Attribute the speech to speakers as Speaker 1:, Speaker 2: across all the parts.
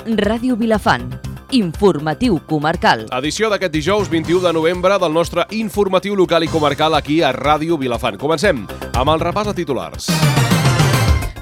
Speaker 1: Ràdio Vilafant, informatiu comarcal.
Speaker 2: Edició d'aquest dijous 21 de novembre del nostre informatiu local i comarcal aquí a Ràdio Vilafant. Comencem amb el repàs de titulars.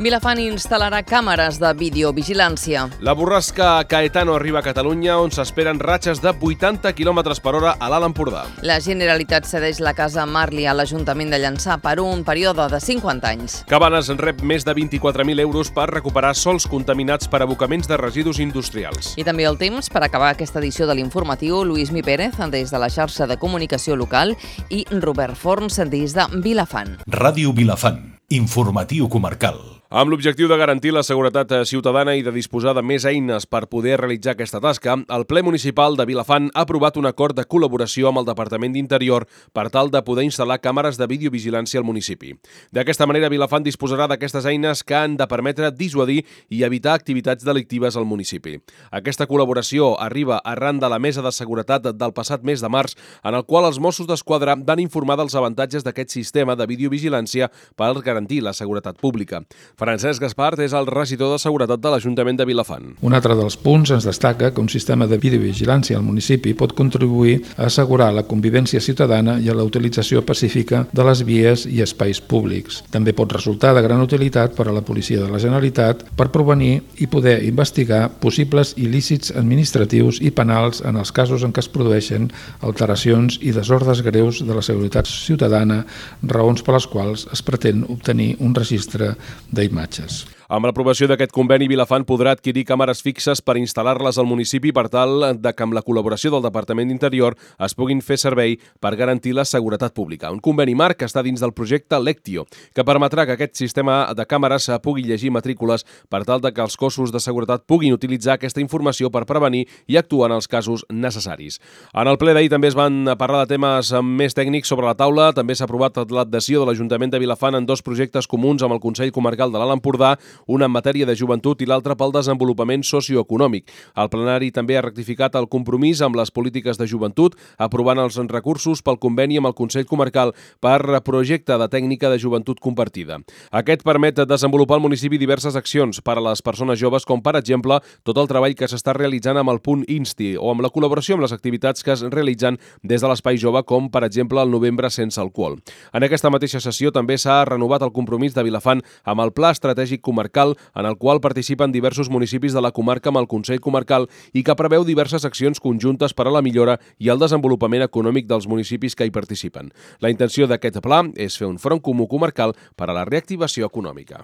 Speaker 1: Vilafant instal·larà càmeres de videovigilància.
Speaker 2: La borrasca Caetano arriba a Catalunya, on s'esperen ratxes de 80 km per hora a l'Alt Empordà.
Speaker 1: La Generalitat cedeix la casa Marli a l'Ajuntament de Llançà per un període de 50 anys.
Speaker 2: Cabanes rep més de 24.000 euros per recuperar sòls contaminats per abocaments de residus industrials.
Speaker 1: I també el temps per acabar aquesta edició de l'informatiu, Lluís Mi Pérez, des de la xarxa de comunicació local, i Robert Forns, des de Vilafant.
Speaker 3: Ràdio Vilafant, informatiu comarcal.
Speaker 2: Amb l'objectiu de garantir la seguretat ciutadana i de disposar de més eines per poder realitzar aquesta tasca, el ple municipal de Vilafant ha aprovat un acord de col·laboració amb el Departament d'Interior per tal de poder instal·lar càmeres de videovigilància al municipi. D'aquesta manera, Vilafant disposarà d'aquestes eines que han de permetre dissuadir i evitar activitats delictives al municipi. Aquesta col·laboració arriba arran de la Mesa de Seguretat del passat mes de març, en el qual els Mossos d'Esquadra van informar dels avantatges d'aquest sistema de videovigilància per garantir la seguretat pública. Francesc Gaspart és el regidor de Seguretat de l'Ajuntament de Vilafant.
Speaker 4: Un altre dels punts ens destaca que un sistema de videovigilància al municipi pot contribuir a assegurar la convivència ciutadana i a la utilització pacífica de les vies i espais públics. També pot resultar de gran utilitat per a la Policia de la Generalitat per prevenir i poder investigar possibles il·lícits administratius i penals en els casos en què es produeixen alteracions i desordres greus de la seguretat ciutadana, raons per les quals es pretén obtenir un registre d'imatges.
Speaker 2: Amb l'aprovació d'aquest conveni, Vilafant podrà adquirir càmeres fixes per instal·lar-les al municipi per tal de que amb la col·laboració del Departament d'Interior es puguin fer servei per garantir la seguretat pública. Un conveni marc que està dins del projecte Lectio, que permetrà que aquest sistema de càmeres pugui llegir matrícules per tal de que els cossos de seguretat puguin utilitzar aquesta informació per prevenir i actuar en els casos necessaris. En el ple d'ahir també es van parlar de temes més tècnics sobre la taula. També s'ha aprovat l'adhesió de l'Ajuntament de Vilafant en dos projectes comuns amb el Consell Comarcal de l'Alt Empordà, una en matèria de joventut i l'altra pel desenvolupament socioeconòmic. El plenari també ha rectificat el compromís amb les polítiques de joventut, aprovant els recursos pel conveni amb el Consell Comarcal per projecte de tècnica de joventut compartida. Aquest permet desenvolupar al municipi diverses accions per a les persones joves, com per exemple tot el treball que s'està realitzant amb el punt Insti o amb la col·laboració amb les activitats que es realitzen des de l'Espai Jove, com per exemple el Novembre sense alcohol. En aquesta mateixa sessió també s'ha renovat el compromís de Vilafant amb el Pla Estratègic Comarcal, en el qual participen diversos municipis de la comarca amb el Consell Comarcal i que preveu diverses accions conjuntes per a la millora i el desenvolupament econòmic dels municipis que hi participen. La intenció d'aquest pla és fer un front comú comarcal per a la reactivació econòmica.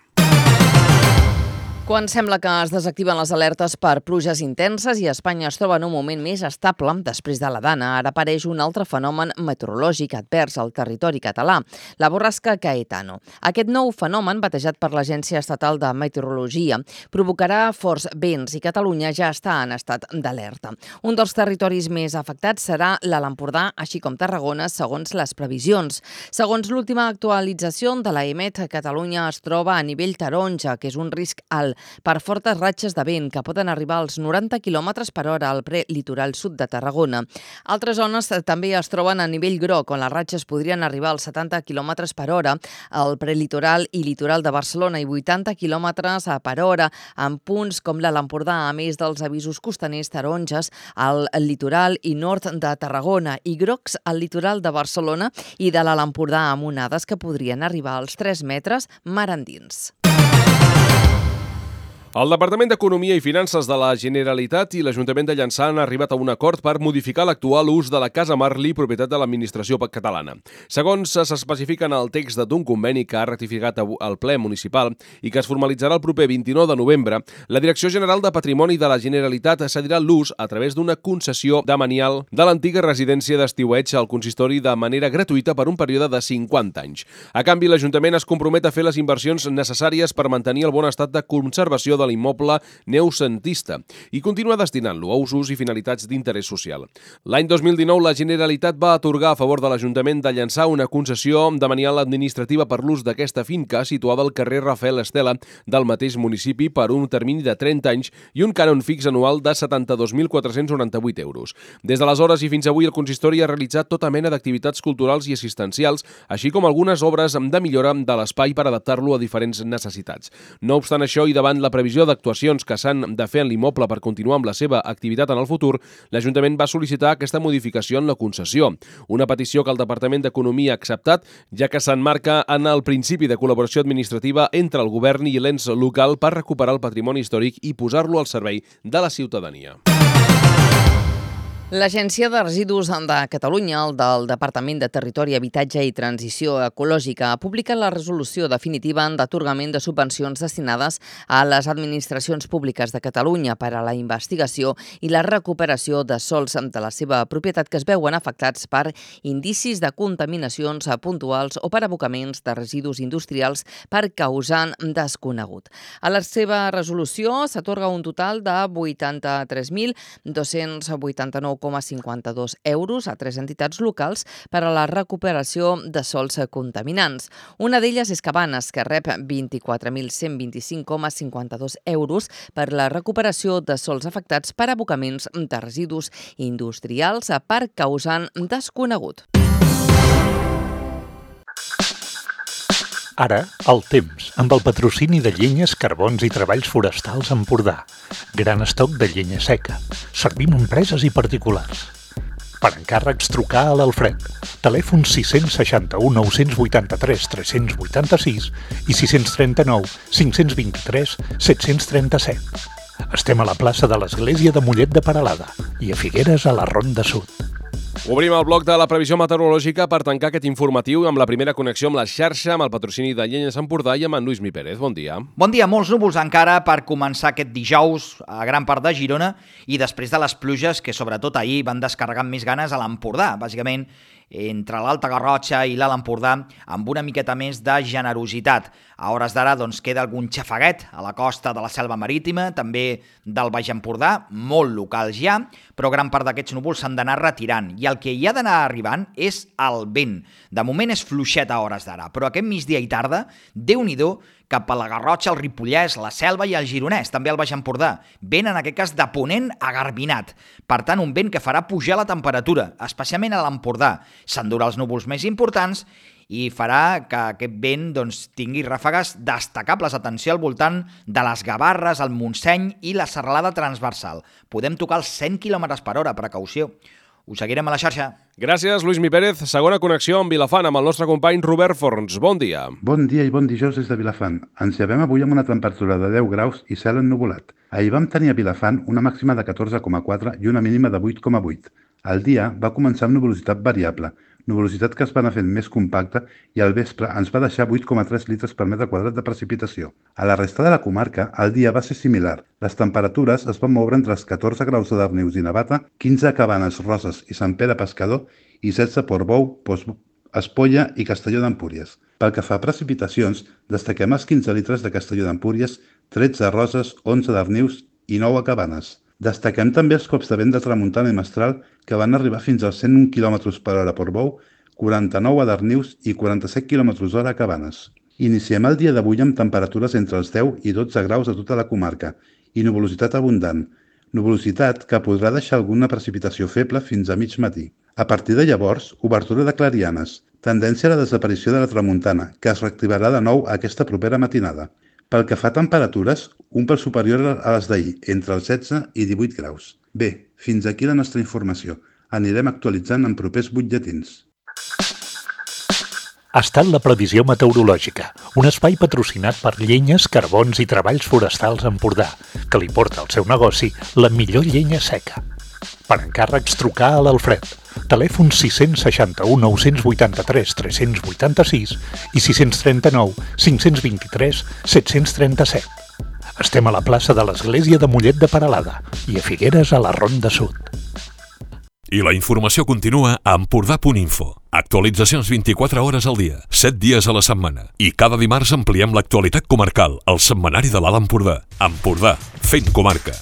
Speaker 1: Quan sembla que es desactiven les alertes per pluges intenses i Espanya es troba en un moment més estable després de la Dana, ara apareix un altre fenomen meteorològic advers al territori català, la borrasca Caetano. Aquest nou fenomen, batejat per l'Agència Estatal de Meteorologia, provocarà forts vents i Catalunya ja està en estat d'alerta. Un dels territoris més afectats serà l'Alt Empordà, així com Tarragona, segons les previsions. Segons l'última actualització de l'EMET, Catalunya es troba a nivell taronja, que és un risc alt per fortes ratxes de vent que poden arribar als 90 km per hora al prelitoral sud de Tarragona. Altres zones també es troben a nivell groc, on les ratxes podrien arribar als 70 km per hora al prelitoral i litoral de Barcelona i 80 km per hora en punts com l'Alt Empordà, a més dels avisos costaners taronges al litoral i nord de Tarragona i grocs al litoral de Barcelona i de l'Alt Empordà, amb onades que podrien arribar als 3 metres mar endins.
Speaker 2: El Departament d'Economia i Finances de la Generalitat i l'Ajuntament de Llançà han arribat a un acord per modificar l'actual ús de la Casa Marli, propietat de l'administració catalana. Segons s'especifica en el text d'un conveni que ha ratificat el ple municipal i que es formalitzarà el proper 29 de novembre, la Direcció General de Patrimoni de la Generalitat cedirà l'ús a través d'una concessió demanial de l'antiga residència d'estiueig al consistori de manera gratuïta per un període de 50 anys. A canvi, l'Ajuntament es compromet a fer les inversions necessàries per mantenir el bon estat de conservació de l'immoble neocentista i continua destinant-lo a usos i finalitats d'interès social. L'any 2019, la Generalitat va atorgar a favor de l'Ajuntament de Llançà una concessió demanial administrativa per l'ús d'aquesta finca situada al carrer Rafael Estela del mateix municipi per un termini de 30 anys i un cànon fix anual de 72.498 euros. Des d'aleshores i fins avui, el consistori ha realitzat tota mena d'activitats culturals i assistencials, així com algunes obres de millora de l'espai per adaptar-lo a diferents necessitats. No obstant això, i davant la previsió previsió d'actuacions que s'han de fer en l'immoble per continuar amb la seva activitat en el futur, l'Ajuntament va sol·licitar aquesta modificació en la concessió. Una petició que el Departament d'Economia ha acceptat, ja que s'emmarca en el principi de col·laboració administrativa entre el govern i l'ens local per recuperar el patrimoni històric i posar-lo al servei de la ciutadania.
Speaker 1: L'Agència de Residus de Catalunya, el del Departament de Territori, Habitatge i Transició Ecològica, ha publicat la resolució definitiva d'atorgament de subvencions destinades a les administracions públiques de Catalunya per a la investigació i la recuperació de sòls de la seva propietat que es veuen afectats per indicis de contaminacions puntuals o per abocaments de residus industrials per causant desconegut. A la seva resolució s'atorga un total de 83.289,52 euros a 3 entitats locals per a la recuperació de sòls contaminants. Una d'elles és Cabanes, que rep 24.125,52 euros per la recuperació de sòls afectats per abocaments de residus industrials per causant desconegut.
Speaker 3: Ara, el temps, amb el patrocini de Llenyes, Carbons i Treballs Forestals Empordà. Gran estoc de llenya seca. Servim empreses i particulars. Per encàrrecs, trucar a l'Alfred. Telèfon 661 983 386 i 639 523 737. Estem a la plaça de l'Església de Mollet de Peralada i a Figueres a la Ronda Sud.
Speaker 2: Obrim el bloc de la previsió meteorològica per tancar aquest informatiu amb la primera connexió amb la xarxa, amb el patrocini de Llenyes Empordà i amb en Lluís Mi Pérez. Bon dia.
Speaker 5: Bon dia. Molts núvols encara per començar aquest dijous a gran part de Girona i després de les pluges que sobretot ahir van descarregar amb més ganes a l'Empordà. Bàsicament, entre l'Alta Garrotxa i l'Alt Empordà, amb una miqueta més de generositat. A hores d'ara queda algun xafaguet a la costa de la Selva Marítima, també del Baix Empordà, molt locals ja, però gran part d'aquests núvols s'han d'anar retirant. I el que hi ha d'anar arribant és el vent. De moment és fluixet a hores d'ara, però aquest migdia i tarda, Déu-n'hi-do, cap a la Garrotxa, el Ripollès, la Selva i el Gironès, també el Baix Empordà. Vent, en aquest cas, de ponent a garbinat. Per tant, un vent que farà pujar la temperatura, especialment a l'Empordà. S'endurà els núvols més importants i farà que aquest vent tingui ràfegues destacables. Atenció al voltant de les Gavarres, el Montseny i la Serralada Transversal. Podem tocar els 100 km per hora, precaució. Us seguirem a la xarxa.
Speaker 2: Gràcies, Lluís Mi Pérez. Segona connexió amb Vilafant, amb el nostre company Robert Forns. Bon dia.
Speaker 6: Bon dia i bon dijous des de Vilafant. Ens llevem avui amb una temperatura de 10 graus i cel ennuvolat. Ahir vam tenir a Vilafant una màxima de 14,4 i una mínima de 8,8. El dia va començar amb nuvolositat variable, nuvolositat que es va anar fent més compacta i al vespre ens va deixar 8,3 litres per metre quadrat de precipitació. A la resta de la comarca, el dia va ser similar. Les temperatures es van moure entre els 14 graus de Darnius i Navata, 15 a Cabanes, Roses i Sant Pere Pescador i 16 a Portbou, Espolla i Castelló d'Empúries. Pel que fa a precipitacions, destaquem els 15 litres de Castelló d'Empúries, 13 a Roses, 11 a Darnius i 9 a Cabanes. Destaquem també els cops de vent de tramuntana i mestral que van arribar fins als 101 km per hora a Portbou, 49 a Darnius i 47 km hora a Cabanes. Iniciem el dia d'avui amb temperatures entre els 10 i 12 graus a tota la comarca i nuvolositat abundant. Nuvolositat que podrà deixar alguna precipitació feble fins a mig matí. A partir de llavors, obertura de clarianes, tendència a la desaparició de la tramuntana, que es reactivarà de nou aquesta propera matinada. Pel que fa a temperatures, un pèl superior a les d'ahir, entre els 16 i 18 graus. Bé, fins aquí la nostra informació. Anirem actualitzant en propers butlletins.
Speaker 3: Ha estat la previsió meteorològica, un espai patrocinat per Llenyes, Carbons i Treballs Forestals Empordà, que li porta al seu negoci la millor llenya seca. Per encàrrecs, trucar a l'Alfred. Telèfon 661 983 386 i 639 523 737. Estem a la plaça de l'Església de Mollet de Peralada i a Figueres a la Ronda Sud.
Speaker 7: I la informació continua a empordà.info. Actualitzacions 24 hores al dia, 7 dies a la setmana. I cada dimarts ampliem l'actualitat comarcal, al setmanari de l'Alt Empordà. Empordà, fent comarca.